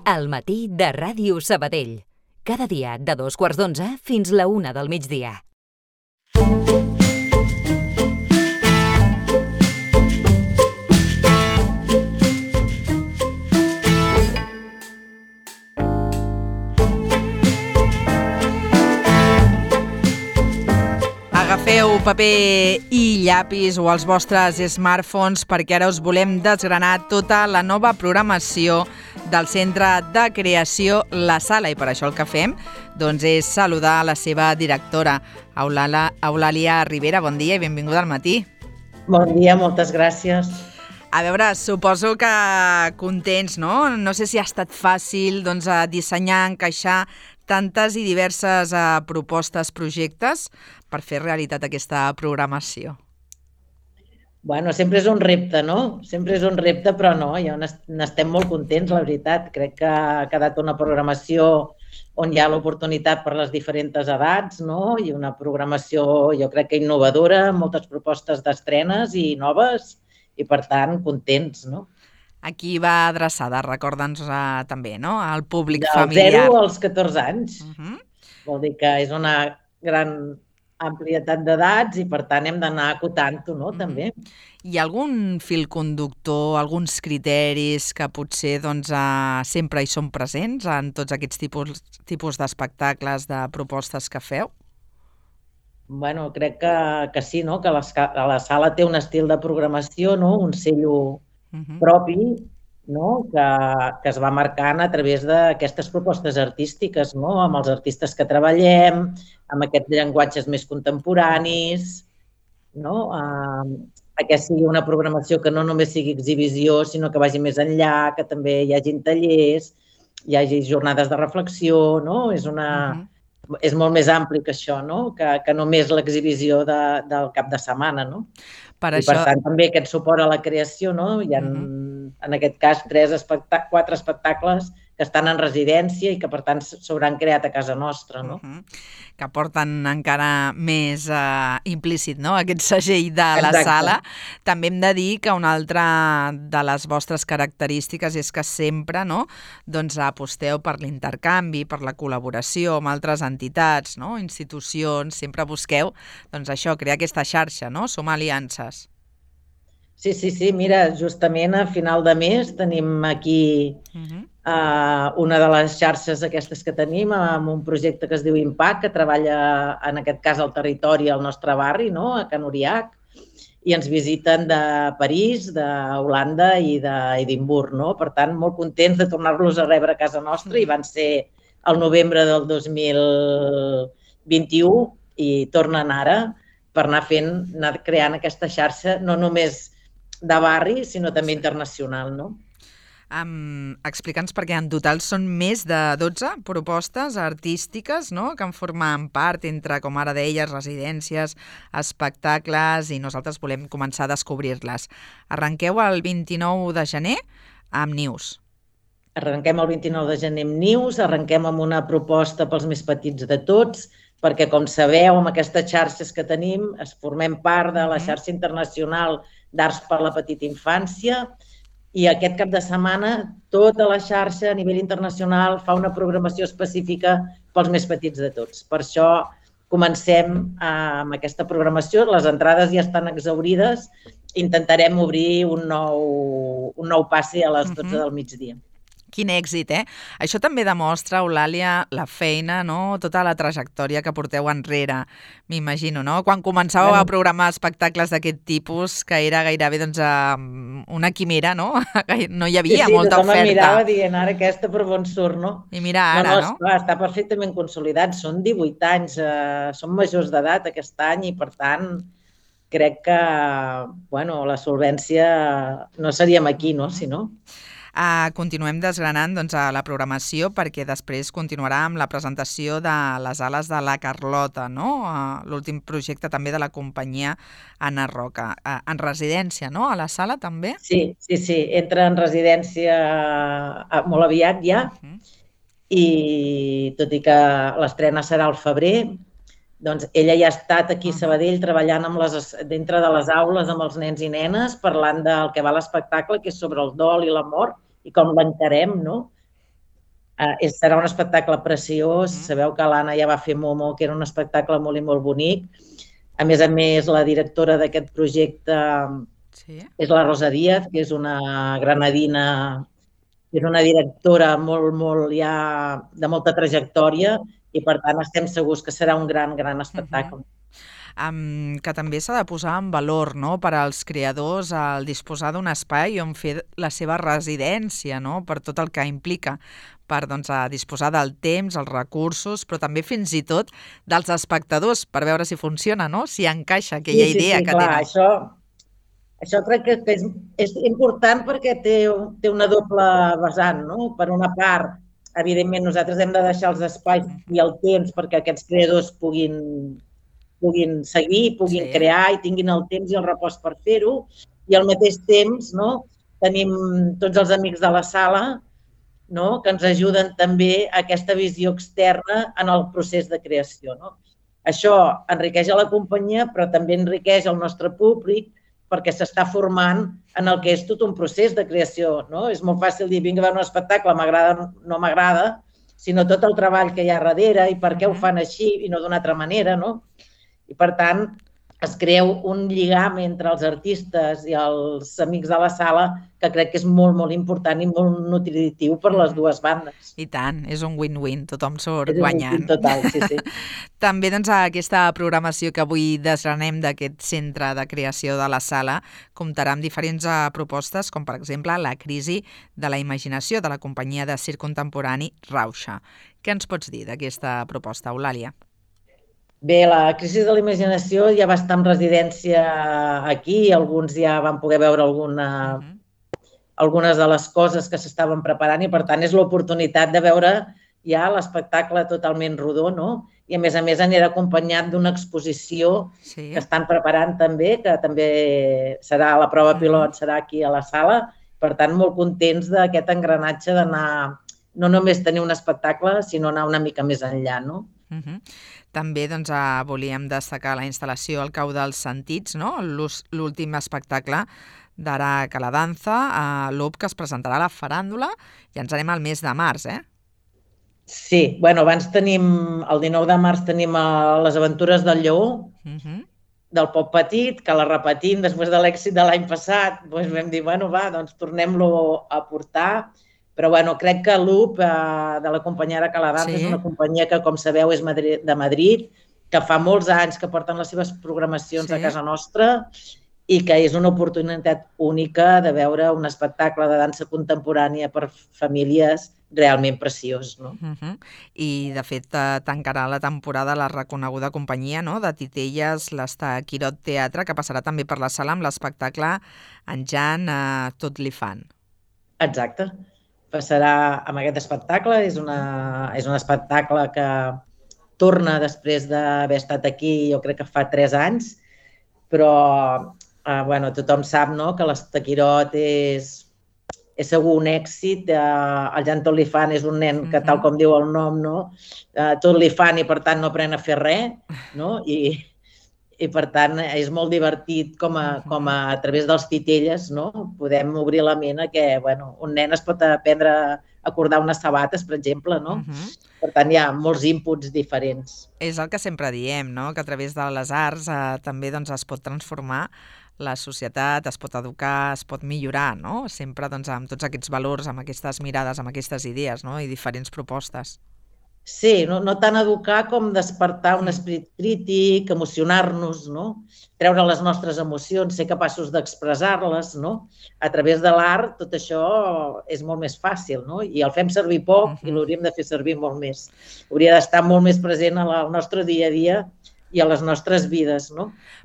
Al matí de Ràdio Sabadell. Cada dia de 2:15 fins la 1 del migdia. Agafeu paper i llapis o els vostres smartphones perquè ara us volem desgranar tota la nova programació del Centre de Creació La Sala, i per això el que fem doncs, és saludar la seva directora, Eulàlia Ribera. Bon dia i benvinguda al matí. Bon dia, moltes gràcies. A veure, suposo que contents, no? No sé si ha estat fàcil doncs, dissenyar, encaixar tantes i diverses propostes, projectes per fer realitat aquesta programació. Bueno, sempre és un repte, no? Sempre és un repte, però no, ja n'estem molt contents, la veritat. Crec que ha quedat una programació on hi ha l'oportunitat per les diferents edats, no? I una programació, jo crec que innovadora, moltes propostes d'estrenes i noves, i per tant, contents, no? A qui va adreçada, recorda'ns també, no? Al públic Del familiar. 0 als 14 anys. Vol dir que és una gran amplietat d'edats i, per tant, hem d'anar acotant-ho, no?, també. Hi ha algun fil conductor, alguns criteris que potser doncs, sempre hi són presents en tots aquests tipus d'espectacles, de propostes que feu? Bueno, crec que sí, no?, que la sala té un estil de programació, no?, un cello propi, no?, que es va marcant a través d'aquestes propostes artístiques, no?, amb els artistes que treballem, amb aquests llenguatges més contemporanis, no?, que sigui una programació que no només sigui exhibició, sinó que vagi més enllà, que també hi hagi tallers, hi hagi jornades de reflexió, no?, és molt més ampli que això, no?, que només l'exhibició del cap de setmana, no? I per tant també aquest suport a la creació, no? Hi ha en aquest cas 4 espectacles que estan en residència i que per tant s'hauran creat a casa nostra, no? Que porten encara més implícit, no?, aquest segell de la sala. També hem de dir que una altra de les vostres característiques és que sempre, no?, doncs aposteu per l'intercanvi, per la col·laboració amb altres entitats, no?, institucions, sempre busqueu doncs això, crear aquesta xarxa, no?, sumar aliances. Sí, mira, justament a final de mes tenim aquí una de les xarxes aquestes que tenim amb un projecte que es diu Impact, que treballa en aquest cas al territori, al nostre barri, no?, a Can Uriach, i ens visiten de París, d'Holanda i d'Edimburg, no? Per tant, molt contents de tornar-los a rebre a casa nostra, i van ser el novembre del 2021 i tornen ara per anar creant aquesta xarxa, no només de barri, sinó també internacional, no? Explica'ns, perquè en total són més de 12 propostes artístiques, no?, que en formen part entre, com ara deies, residències, espectacles, i nosaltres volem començar a descobrir-les. Arrenqueu el 29 de gener amb Nius. Arrenquem el 29 de gener amb Nius, arrenquem amb una proposta pels més petits de tots, perquè, com sabeu, amb aquestes xarxes que tenim, formem part de la xarxa internacional d'Arts per la Petita Infància, i aquest cap de setmana tota la xarxa a nivell internacional fa una programació específica pels més petits de tots. Per això comencem amb aquesta programació, les entrades ja estan exhaurides, intentarem obrir un nou passe a les 12 del migdia. Quin èxit, eh? Això també demostra, Eulàlia, la feina, no?, tota la trajectòria que porteu enrere, m'imagino, no? Quan començàveu a programar espectacles d'aquest tipus, que era gairebé doncs, una quimera, no? No hi havia molta oferta. Sí, tothom mirava dient, ara aquesta per on surt, no? I mira ara, no? Esclar, està perfectament consolidat, són 18 anys, són majors d'edat aquest any, i per tant crec que, bueno, la solvència no seríem aquí, no?, si no. Continuem desgranant doncs, la programació, perquè després continuarà amb la presentació de les ales de la Carlota, no? L'últim projecte també de la companyia Anna Roca. En residència, no?, a la sala també? Sí, entra en residència molt aviat ja, i tot i que l'estrena serà al febrer, doncs ella ja ha estat aquí a Sabadell treballant dintre de les aules amb els nens i nenes, parlant del que va l'espectacle, que és sobre el dol i la mort, i com l'encarem, no? Serà un espectacle preciós. Sabeu que l'Anna ja va fer Momo, que era un espectacle molt i molt bonic. A més, la directora d'aquest projecte és la Rosa Díaz, que és una granadina, és una directora molt ja de molta trajectòria i, per tant, estem segurs que serà un gran espectacle. Que també s'ha de posar en valor, no?, per als creadors el disposar d'un espai on fer la seva residència, no?, per tot el que implica, per disposar del temps, els recursos, però també fins i tot dels espectadors, per veure si funciona, no?, si encaixa aquella idea que tenen. Això crec que és important perquè té una doble vessant, no? Per una part, evidentment, nosaltres hem de deixar els espais i el temps perquè aquests creadors puguin seguir, puguin crear i tinguin el temps i el repòs per fer-ho, i al mateix temps tenim tots els amics de la sala que ens ajuden també a aquesta visió externa en el procés de creació. Això enriqueix a la companyia, però també enriqueix el nostre públic perquè s'està formant en el que és tot un procés de creació. És molt fàcil dir, vinc a veure un espectacle, m'agrada o no m'agrada, sinó tot el treball que hi ha darrere i per què ho fan així i no d'una altra manera, no? I, per tant, es crea un lligam entre els artistes i els amics de la sala que crec que és molt important i molt nutritiu per les dues bandes. I tant, és un win-win, tothom surt guanyant. Total, sí. També aquesta programació que avui desgranem d'aquest centre de creació de la sala comptarà amb diferents propostes, com per exemple la crisi de la imaginació de la companyia de circ contemporani Rauxa. Què ens pots dir d'aquesta proposta, Eulàlia? Bé, la crisi de la imaginació ja va estar en residència aquí, alguns ja van poder veure algunes de les coses que s'estaven preparant i, per tant, és l'oportunitat de veure ja l'espectacle totalment rodó, no? I, a més, anirà acompanyat d'una exposició que estan preparant també, que també serà la prova pilot, serà aquí a la sala. Per tant, molt contents d'aquest engranatge d'anar, no només tenir un espectacle, sinó anar una mica més enllà, no? També volíem destacar la instal·lació al Cau dels Sentits, l'últim espectacle d'Ara Caladanza, a l'UP, que es presentarà a la Faràndula, i ens anem al mes de març, Sí, abans tenim, el 19 de març tenim les aventures del Lleó, del Pop Petit, que la repetim després de l'èxit de l'any passat. Vam dir, tornem-lo a portar. Però crec que l'UP de la companyia Ara Caladanza és una companyia que, com sabeu, és de Madrid, que fa molts anys que porten les seves programacions a casa nostra i que és una oportunitat única de veure un espectacle de dansa contemporània per famílies realment preciós. I, de fet, tancarà la temporada la reconeguda companyia de Titelles, l'Estaquirot Teatre, que passarà també per la sala amb l'espectacle En Jan, tot li fan. Exacte. Passarà amb aquest espectacle. És un espectacle que torna després d'haver estat aquí, jo crec que fa 3 anys, però tothom sap que l'Estaquirot és segur un èxit. El Jan tot li fan és un nen que, tal com diu el nom, tot li fan i, per tant, no aprèn a fer res, i, per tant, és molt divertit com a través dels Titelles podem obrir la ment a que un nen es pot aprendre a cordar unes sabates, per exemple. Per tant, hi ha molts inputs diferents. És el que sempre diem, que a través de les arts també es pot transformar la societat, es pot educar, es pot millorar, sempre amb tots aquests valors, amb aquestes mirades, amb aquestes idees i diferents propostes. Sí, no tant educar com despertar un esperit crític, emocionar-nos, treure les nostres emocions, ser capaços d'expressar-les. A través de l'art tot això és molt més fàcil, i el fem servir poc i l'hauríem de fer servir molt més. Hauria d'estar molt més present al nostre dia a dia i a les nostres vides.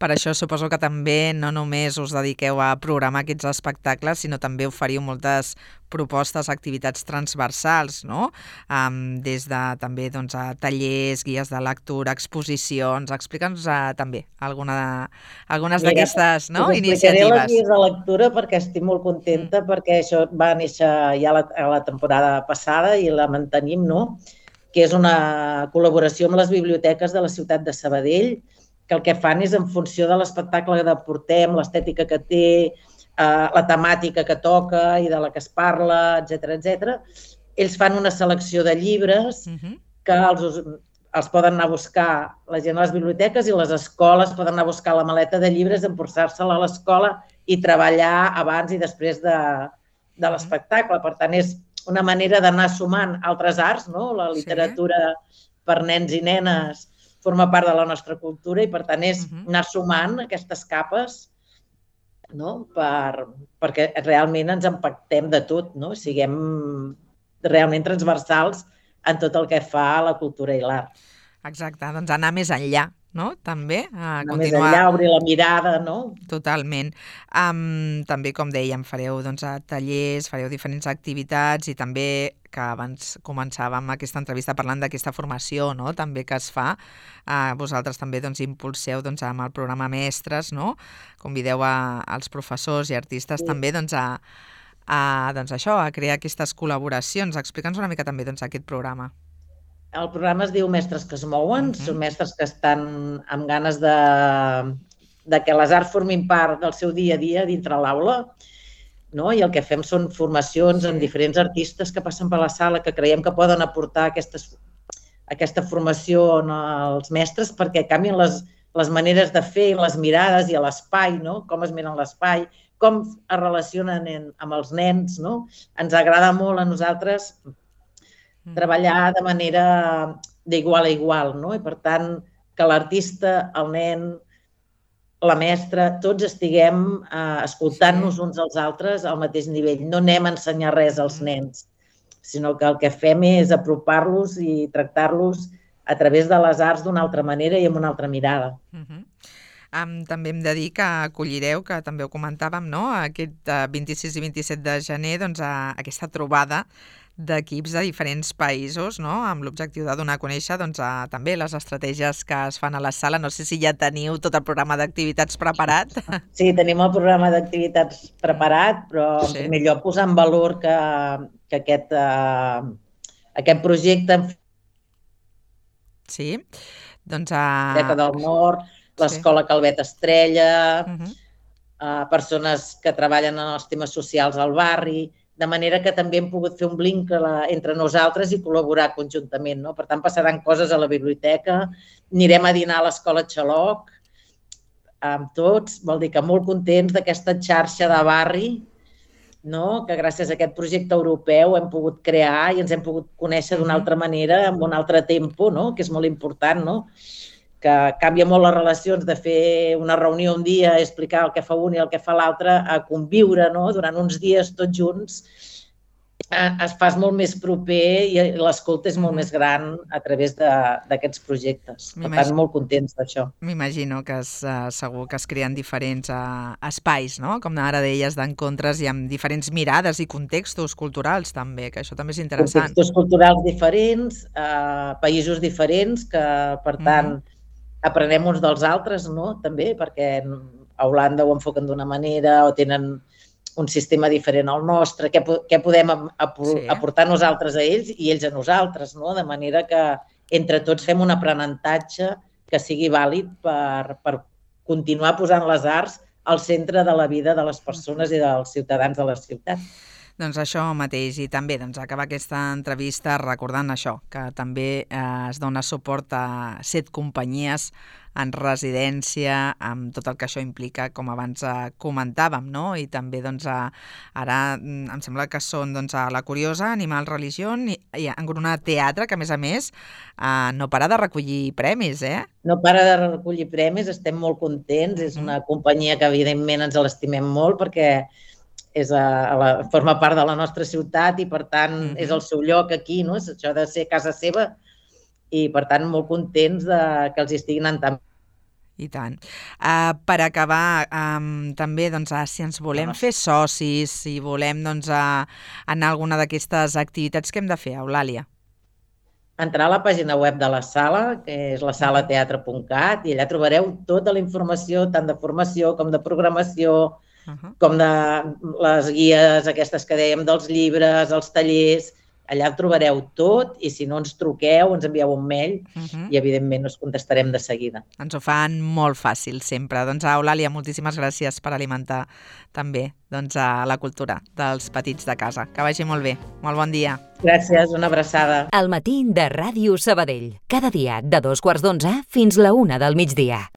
Per això suposo que també no només us dediqueu a programar aquests espectacles, sinó també oferiu moltes propostes, activitats transversals, des de també tallers, guies de lectura, exposicions. Explica'ns també algunes d'aquestes iniciatives. Explicaré les guies de lectura perquè estic molt contenta, perquè això va néixer ja a la temporada passada i la mantenim, que és una col·laboració amb les biblioteques de la ciutat de Sabadell, que el que fan és, en funció de l'espectacle que portem, l'estètica que té, la temàtica que toca i de la que es parla, etc., ells fan una selecció de llibres que els poden anar a buscar la gent a les biblioteques i les escoles poden anar a buscar la maleta de llibres, emportar-se-la a l'escola i treballar abans i després de l'espectacle. Per tant, és una manera d'anar sumant altres arts, no? La literatura per nens i nenes forma part de la nostra cultura i, per tant, és anar sumant aquestes capes, no? Perquè realment ens empaquetem de tot, no? Siguem realment transversals en tot el que fa a la cultura i l'art. Exacte, doncs anar més enllà, no? També anar més enllà, obrir la mirada, no? Totalment. També, com dèiem, fareu tallers, fareu diferents activitats i també, que abans començàvem aquesta entrevista parlant d'aquesta formació, no? També que es fa. Vosaltres també impulseu amb el programa Mestres, no? Convideu als professors i artistes també a crear aquestes col·laboracions. Explica'ns una mica també aquest programa. El programa es diu Mestres que es mouen, són mestres que estan amb ganes de que les arts formin part del seu dia a dia dintre l'aula, no? I el que fem són formacions amb diferents artistes que passen per la sala, que creiem que poden aportar aquesta formació als mestres perquè canvien les maneres de fer, les mirades i l'espai, no? Com es miren l'espai, com es relacionen amb els nens, no? Ens agrada molt a nosaltres treballar de manera d'igual a igual, no? I per tant, que l'artista, el nen, la mestra, tots estiguem escoltant-nos uns als altres al mateix nivell. No anem a ensenyar res als nens, sinó que el que fem és apropar-los i tractar-los a través de les arts d'una altra manera i amb una altra mirada. També hem de dir que acollireu, que també ho comentàvem, no? Aquest 26 i 27 de gener, aquesta trobada d'equips de diferents països, no? Amb l'objectiu de donar a conèixer també les estratègies que es fan a la sala. No sé si ja teniu tot el programa d'activitats preparat. Sí, tenim el programa d'activitats preparat, però en primer lloc posar en valor que aquest projecte... Sí, Biblioteca del Nord, l'Escola Calvet Estrella, persones que treballen en els temes socials al barri, de manera que també hem pogut fer un link entre nosaltres i col·laborar conjuntament, no? Per tant, passaran coses a la biblioteca, anirem a dinar a l'Escola Xaloc, amb tots, vol dir que molt contents d'aquesta xarxa de barri, no? Que gràcies a aquest projecte europeu hem pogut crear i ens hem pogut conèixer d'una altra manera, amb un altre tempo, no? Que és molt important, no? Que canvia molt les relacions de fer una reunió un dia, explicar el que fa un i el que fa l'altre, a conviure, no? Durant uns dies tots junts, es fa molt més proper i l'escolta és molt més gran a través d'aquests projectes. Per tant, molt contents d'això. M'imagino que segur que es creen diferents espais, no? Com ara deies, d'encontres i amb diferents mirades i contextos culturals també, que això també és interessant. Contextos culturals diferents, països diferents, que per tant aprenem uns dels altres, no? També, perquè a Holanda ho enfoquen d'una manera o tenen un sistema diferent al nostre, què podem aportar nosaltres a ells i ells a nosaltres, no? De manera que entre tots fem un aprenentatge que sigui vàlid per continuar posant les arts al centre de la vida de les persones i dels ciutadans de la ciutat. Doncs això mateix, i també acabar aquesta entrevista recordant això, que també es dona suport a 7 companyies en residència, amb tot el que això implica, com abans comentàvem, no? I també ara em sembla que són a La Curiosa, Animal Religión i Engrunat Teatre, que a més no para de recollir premis, eh? No para de recollir premis, estem molt contents, és una companyia que evidentment ens l'estimem molt perquè forma part de la nostra ciutat i, per tant, és el seu lloc aquí, no? És això de ser casa seva i, per tant, molt contents que els estiguin anant tan bé. I tant. Per acabar, també, si ens volem fer socis, si volem anar a alguna d'aquestes activitats, què hem de fer, Eulàlia? Entrar a la pàgina web de la sala, que és lasalateatre.cat, i allà trobareu tota la informació, tant de formació com de programació, com de les guies aquestes que dèiem dels llibres, els tallers, allà trobareu tot i si no ens truqueu, ens envieu un mail i evidentment us contestarem de seguida. Ens ho fan molt fàcil sempre. Doncs Eulàlia, moltíssimes gràcies per alimentar també la cultura dels petits de casa. Que vagi molt bé. Molt bon dia. Gràcies, una abraçada. El matí de Ràdio Sabadell. Cada dia de 2:15 fins la 1 del migdia.